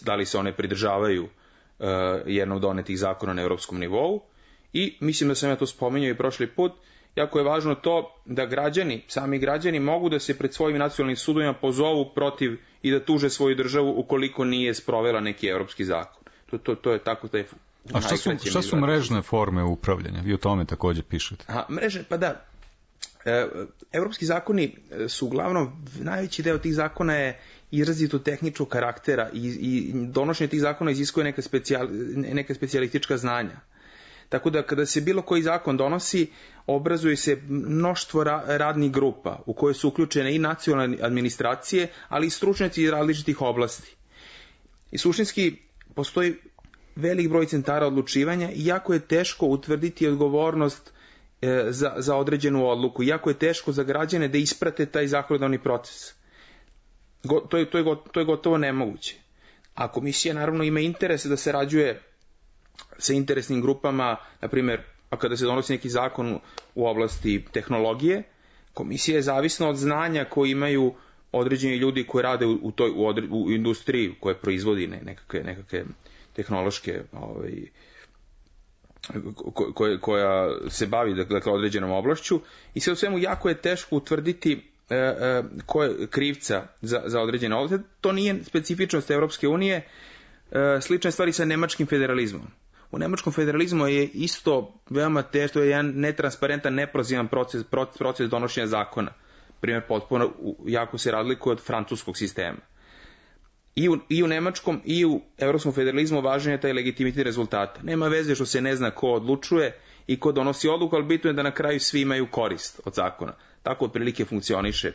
da li se one pridržavaju jednog donetih zakona na evropskom nivou, i mislim da sam ja to spominjao i prošli put, jako je važno to da sami građani mogu da se pred svojim nacionalnim sudovima pozovu protiv i da tuže svoju državu ukoliko nije sprovela neki evropski zakon. To je tako da je. A šta su mrežne forme upravljanja? Vi o tome također pišete. Mreže, pa da. Evropski zakoni su uglavnom, najveći deo tih zakona je izrazito tehničkog karaktera i donošenje tih zakona iziskuje neka specijalistička znanja. Tako da kada se bilo koji zakon donosi, obrazuje se mnoštvo radnih grupa u koje su uključene i nacionalne administracije, ali i stručnjaci iz različitih oblasti. I suštinski postoji velik broj centara odlučivanja i jako je teško utvrditi odgovornost za određenu odluku. Jako je teško za građane da isprate taj zakonodavni proces. To je gotovo nemoguće. A komisija naravno ima interese da sarađuje sa interesnim grupama, na primjer, a kada se donosi neki zakon u oblasti tehnologije, komisija je zavisna od znanja koje imaju određeni ljudi koji rade u industriji koja proizvodi nekakve tehnološke koja se bavi dakle određenom oblašću, i sve u svemu jako je teško utvrditi ko je krivca za određene oblasti. To nije specifičnost Evropske unije. Slične stvari sa nemačkim federalizmom. U nemačkom federalizmu je isto veoma teško, to je jedan netransparentan, neprozivan proces donošenja zakona. Primjer, potpuno jako se razlikuje od francuskog sistema. I u nemačkom i u evropskom federalizmu važan je taj legitimitet rezultata. Nema veze što se ne zna ko odlučuje i ko donosi odluku, ali bitno je da na kraju svi imaju korist od zakona. Tako otprilike funkcioniše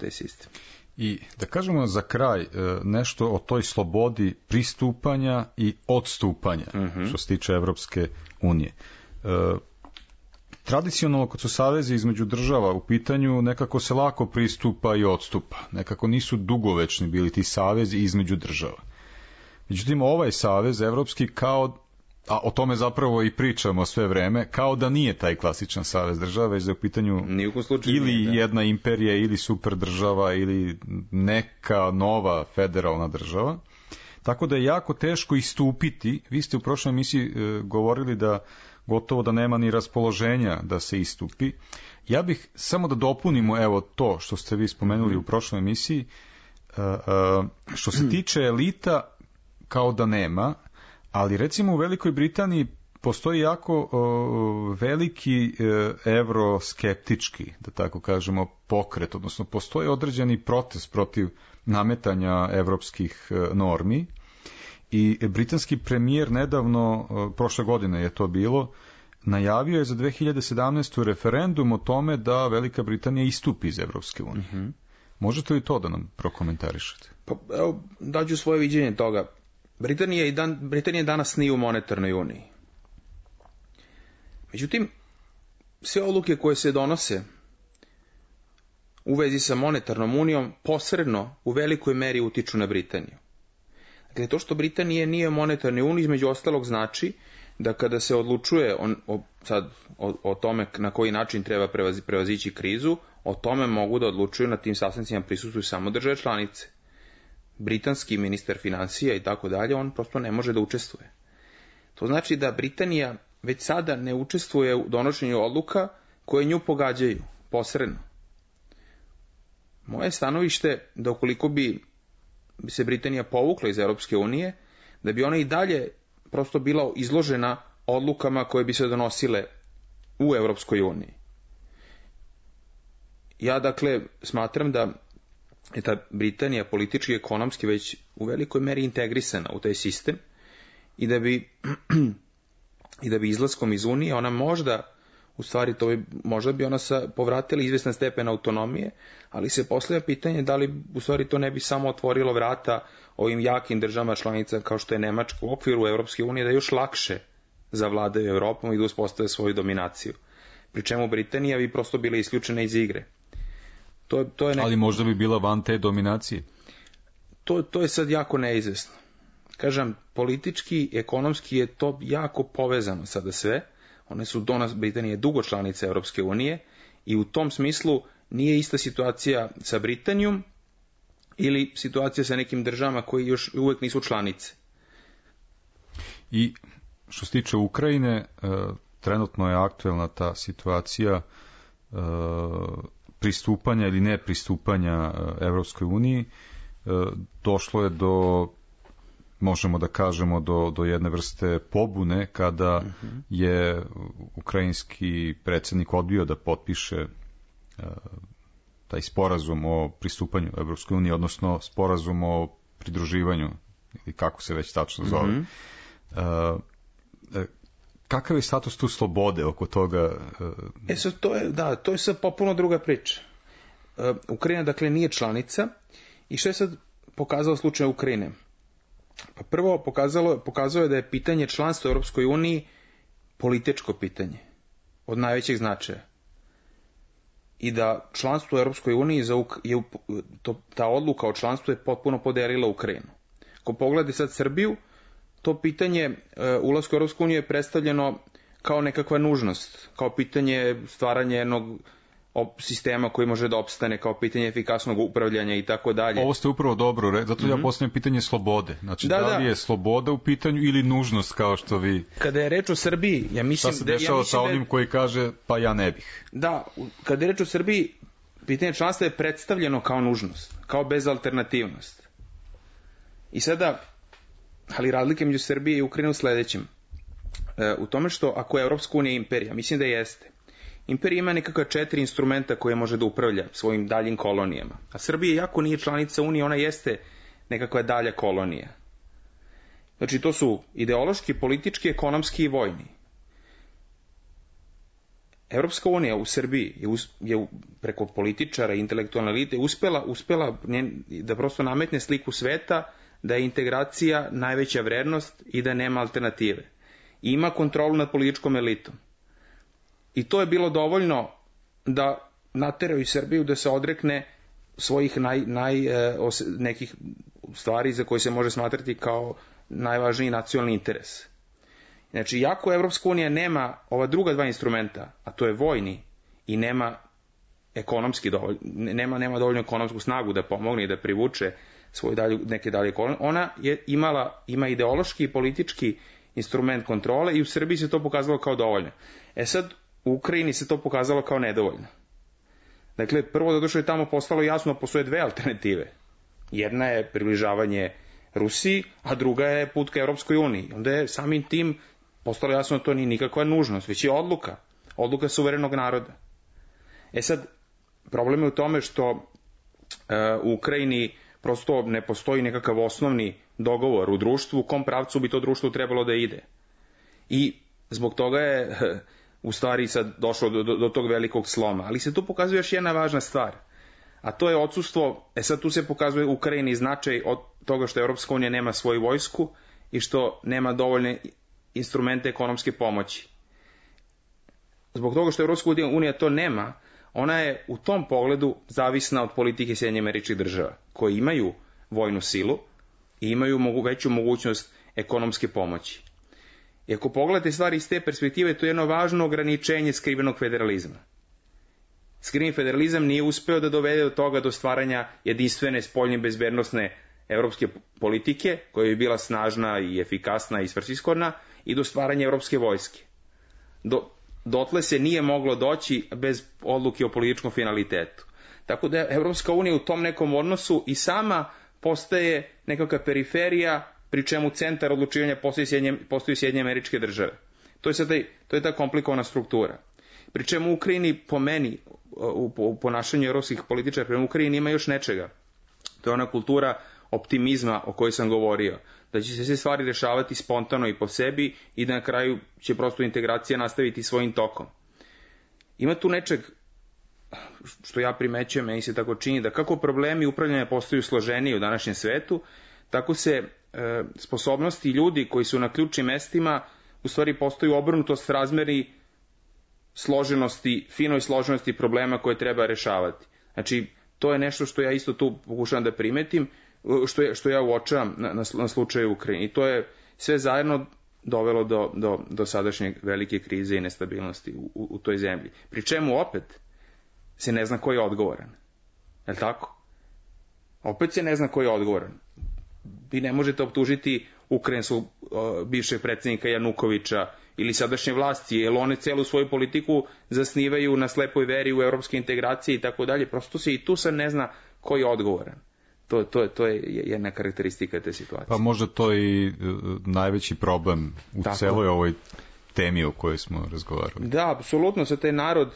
taj sistem. I da kažemo za kraj nešto o toj slobodi pristupanja i odstupanja, što se tiče Evropske unije. Tradicionalno, kad su savezi između država u pitanju, nekako se lako pristupa i odstupa. Nekako nisu dugovečni bili ti savezi između država. Međutim, ovaj savez evropski a o tome zapravo i pričamo sve vreme, kao da nije taj klasičan savez država, već da je u pitanju ili jedna imperija, ili super država, ili neka nova federalna država. Tako da je jako teško istupiti. Vi ste u prošloj emisiji govorili da gotovo da nema ni raspoloženja da se istupi. Ja bih samo da dopunimo evo to što ste vi spomenuli u prošloj emisiji. Što se tiče elita, kao da nema, ali recimo u Velikoj Britaniji postoji jako veliki evroskeptički, da tako kažemo, pokret, odnosno postoji određeni protest protiv nametanja evropskih normi. I britanski premijer nedavno, prošle godine je to bilo, najavio je za 2017. referendum o tome da Velika Britanija istupi iz Evropske unije. Možete li to da nam prokomentarišete? Pa, evo, daću svoje viđenje toga. Britanija danas nije u monetarnoj uniji. Međutim, sve odluke koje se donose u vezi sa monetarnom unijom posredno u velikoj meri utiču na Britaniju. Dakle, to što Britanija nije u monetarnoj uniji, između ostalog, znači da kada se odlučuje o tome na koji način treba prevazići krizu, o tome mogu da odlučuju, na tim sastancima prisustvuju samo države članice. Britanski ministar finansija i tako dalje, on prosto ne može da učestvuje. To znači da Britanija već sada ne učestvuje u donošenju odluka koje nju pogađaju posredno. Moje stanovište da ukoliko bi se Britanija povukla iz Europske unije, da bi ona i dalje prosto bila izložena odlukama koje bi se donosile u Europskoj uniji. Ja dakle smatram da je ta Britanija politički i ekonomski već u velikoj meri integrisana u taj sistem i da bi izlaskom iz Unije ona možda, u stvari možda bi ona povratila izvestan stepen autonomije, ali se postavlja pitanje da li u stvari to ne bi samo otvorilo vrata ovim jakim državama članica kao što je Nemačka u okviru Europske unije da još lakše zavladaju Europom i da uspostave svoju dominaciju. Pri čemu Britanija bi prosto bila isključena iz igre. Ali možda bi bila van te dominacije. To je sad jako neizvesno. Kažem, politički, ekonomski je to jako povezano sada sve. One su do nas, Britanija je dugo članica Europske unije i u tom smislu nije ista situacija sa Britanijom ili situacija sa nekim državama koji još uvek nisu članice. I što se tiče Ukrajine, trenutno je aktuelna ta situacija pristupanja ili ne pristupanja Evropskoj uniji. Došlo je do, možemo da kažemo, do jedne vrste pobune kada je ukrajinski predsjednik odbio da potpiše taj sporazum o pristupanju Evropskoj uniji, odnosno sporazum o pridruživanju, ili kako se već tačno zove. Kakav je status tu slobode oko toga? To je sad popuno druga priča. Ukrajina, dakle, nije članica i što je sad pokazalo slučaj Ukrajine? Pa prvo, pokazalo je da je pitanje članstva u Europskoj uniji političko pitanje od najvećeg značaja. I da članstvo u Europskoj uniji, ta odluka o članstvu je potpuno podelila Ukrajinu. Ako pogledate sad Srbiju, to pitanje ulaska u Europsku uniju je predstavljeno kao nekakva nužnost, kao pitanje stvaranja jednog sistema koji može da opstane, kao pitanje efikasnog upravljanja i tako dalje. Ovo ste upravo dobro rekli, zato ja postavljam pitanje slobode. Znači, da li je sloboda u pitanju ili nužnost, kao što vi... Kada je reč o Srbiji, ja mislim... Šta se dešava sa onim koji kaže, pa ja ne bih? Da, kada je reč o Srbiji, pitanje članstva je predstavljeno kao nužnost, kao bezalternativnost. I sada, ali razlike među Srbije i Ukrajine u sledećem. U tome što, ako je Evropska unija imperija, mislim da jeste, imperija ima nekakva 4 instrumenta koje može da upravlja svojim daljim kolonijama. A Srbija, jako nije članica Unije, ona jeste nekakva dalja kolonija. Znači, to su ideološki, politički, ekonomski i vojni. Evropska unija u Srbiji je preko političara i intelektualne elite uspela da prosto nametne sliku sveta da je integracija najveća vrednost i da nema alternative. I ima kontrolu nad političkom elitom. I to je bilo dovoljno da nateraju Srbiju da se odrekne svojih nekih stvari za koje se može smatrati kao najvažniji nacionalni interes. Znači, jako Evropska unija nema ova druga dva instrumenta, a to je vojni i nema ekonomski nema dovoljno ekonomsku snagu da pomogne i da privuče neke dalje kolonije. Ona ima ideološki i politički instrument kontrole i u Srbiji se to pokazalo kao dovoljno. Sad, u Ukrajini se to pokazalo kao nedovoljno. Dakle, prvo zato što je tamo postalo jasno postoje dve alternative. Jedna je približavanje Rusiji, a druga je put ka Evropskoj uniji. Onda je samim tim postalo jasno da to nije nikakva nužnost, već je odluka suverenog naroda. Sad, problem je u tome što u Ukrajini prosto ne postoji nekakav osnovni dogovor u društvu, u kom pravcu bi to društvo trebalo da ide. I zbog toga je u stvari sad došlo do tog velikog sloma. Ali se tu pokazuje još jedna važna stvar, a to je odsustvo, sad tu se pokazuje u Ukrajini značaj od toga što Evropska unija nema svoju vojsku i što nema dovoljne instrumente ekonomske pomoći. Zbog toga što Evropska unija to nema, ona je u tom pogledu zavisna od politike Sjedinjenih Američkih Država, koji imaju vojnu silu i imaju veću mogućnost ekonomske pomoći. I ako pogledate stvari iz te perspektive, to je jedno važno ograničenje skrivenog federalizma. Skriveni federalizam nije uspeo da dovede do toga do stvaranja jedinstvene spoljne bezbednosne evropske politike, koja bi bila snažna i efikasna i svrsishodna, i do stvaranja evropske vojske. Dotle se nije moglo doći bez odluke o političkom finalitetu. Tako da Evropska unija u tom nekom odnosu i sama postaje nekakva periferija, pri čemu centar odlučivanja postoji Sjedinjene Američke Države. To je ta komplikovana struktura. Pri čemu u Ukrajini, po meni, u ponašanju evropskih političara prema Ukrajini ima još nečega. To je ona kultura optimizma o kojoj sam govorio. Da će se sve stvari rešavati spontano i po sebi i da na kraju će prosto integracija nastaviti svojim tokom. Ima tu nečeg što ja primećujem, meni se tako čini, da kako problemi upravljanja postaju složeniji u današnjem svetu, tako se sposobnosti ljudi koji su na ključnim mestima u stvari postaju obrnutost razmeri složenosti, finoj složenosti problema koje treba rešavati. Znači, To je nešto što ja isto tu pokušavam da primetim, što ja uočavam na slučaju Ukrajine. I to je sve zajedno dovelo do sadašnje velike krize i nestabilnosti u toj zemlji. Pri čemu opet se ne zna ko je odgovoran. Je li tako? Opet se ne zna ko je odgovoran. Vi ne možete optužiti Ukrajinsku bivšeg predsjednika Janukovića ili sadašnje vlasti, jer one celu svoju politiku zasnivaju na slepoj veri u evropske integracije i tako dalje. Prosto se i tu sad ne zna ko je odgovoran. To je jedna karakteristika te situacije. Pa možda to i najveći problem u celoj ovoj temi o kojoj smo razgovarali. Da, apsolutno, sa taj narod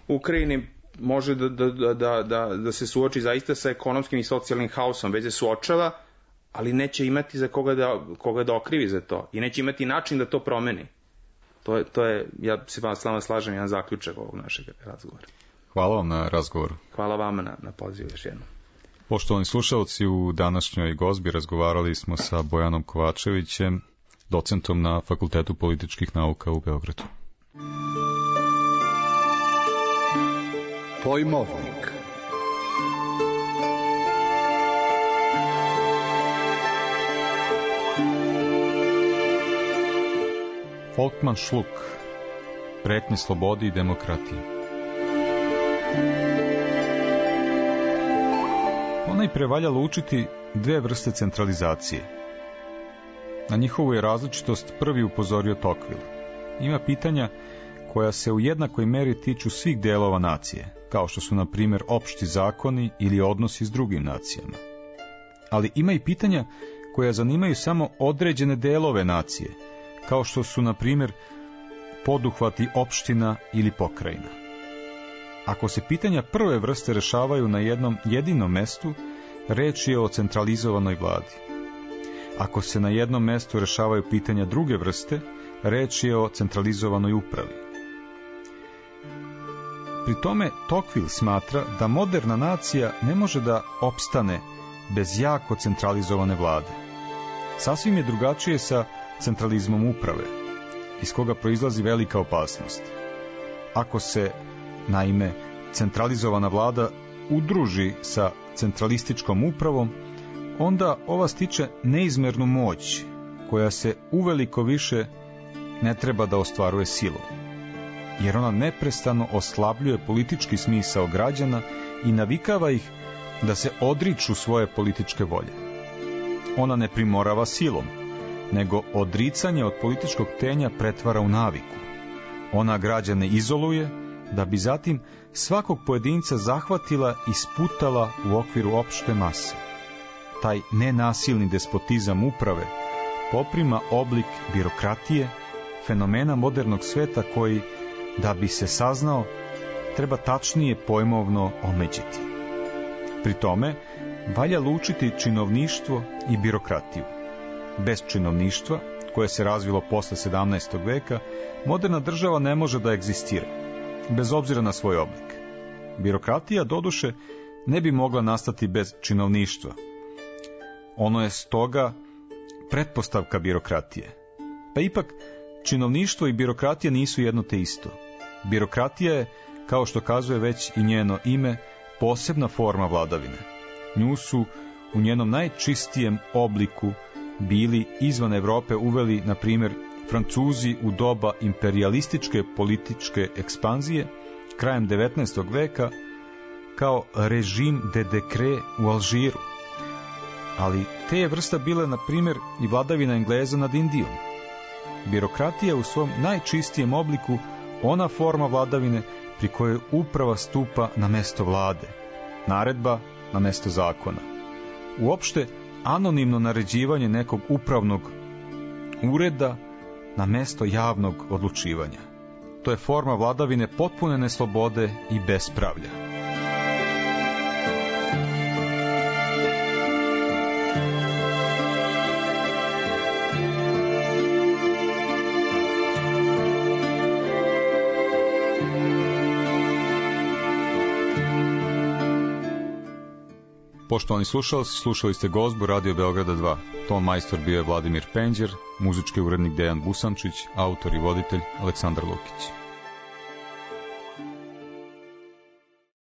u Ukrajini može da se suoči zaista sa ekonomskim i socijalnim haosom, već se suočava, ali neće imati za koga da okrivi za to i neće imati način da to promeni. To je, ja se s vama slažem, jedan zaključak ovog našeg razgovora. Hvala vam na razgovoru. Hvala vama na pozivu još jednom. Poštovani slušalci, u današnjoj gozbi razgovarali smo sa Bojanom Kovačevićem, docentom na Fakultetu političkih nauka u Beogradu. Pojmovnik. Folkman Šluk, pretnje slobodi i demokratiji. Ponajpre valja lučiti dve vrste centralizacije. Na njihovu je različitost prvi upozorio Tocqueville. Ima pitanja koja se u jednakoj meri tiču svih delova nacije, kao što su, na primjer, opšti zakoni ili odnosi s drugim nacijama. Ali ima i pitanja koja zanimaju samo određene delove nacije, kao što su, na primjer, poduhvati opština ili pokrajina. Ako se pitanja prve vrste rešavaju na jednom jedinom mestu, reč je o centralizovanoj vladi. Ako se na jednom mestu rešavaju pitanja druge vrste, reč je o centralizovanoj upravi. Pri tome Tocqueville smatra da moderna nacija ne može da opstane bez jako centralizovane vlade. Sasvim je drugačije sa centralizmom uprave, iz koga proizlazi velika opasnost. Ako se, naime, centralizovana vlada udruži sa centralističkom upravom, onda ova stiče neizmernu moć, koja se uveliko više ne treba da ostvaruje silom, jer ona neprestano oslabljuje politički smisao građana i navikava ih da se odriču svoje političke volje. Ona ne primorava silom, nego odricanje od političkog tenja pretvara u naviku. Ona građane izoluje, da bi zatim svakog pojedinca zahvatila i sputala u okviru opšte mase. Taj nenasilni despotizam uprave poprima oblik birokratije, fenomena modernog sveta koji, da bi se saznao, treba tačnije pojmovno omeđiti. Pri tome, valja lučiti činovništvo i birokratiju. Bez činovništva, koje se razvilo posle 17. veka, moderna država ne može da egzistira, bez obzira na svoj oblik. Birokratija, doduše, ne bi mogla nastati bez činovništva. Ono je stoga pretpostavka birokratije. Pa ipak, činovništvo i birokratija nisu jedno te isto. Birokratija je, kao što kazuje već i njeno ime, posebna forma vladavine. Nju su u njenom najčistijem obliku bili izvan Evrope uveli, na primjer, Francuzi u doba imperijalističke političke ekspanzije krajem 19. veka kao režim de decret u Alžiru. Ali te je vrsta bile, na primjer, i vladavina Engleza nad Indijom. Birokratija u svom najčistijem obliku ona forma vladavine pri kojoj uprava stupa na mesto vlade, naredba na mesto zakona. Uopšte, anonimno naređivanje nekog upravnog ureda na mesto javnog odlučivanja. To je forma vladavine potpune neslobode i bespravlja. Poštovani slušalci, slušali ste gozbu Radio Beograda 2. Ton majstor bio je Vladimir Penđer, muzički urednik Dejan Busančić, autor i voditelj Aleksandar Lukić.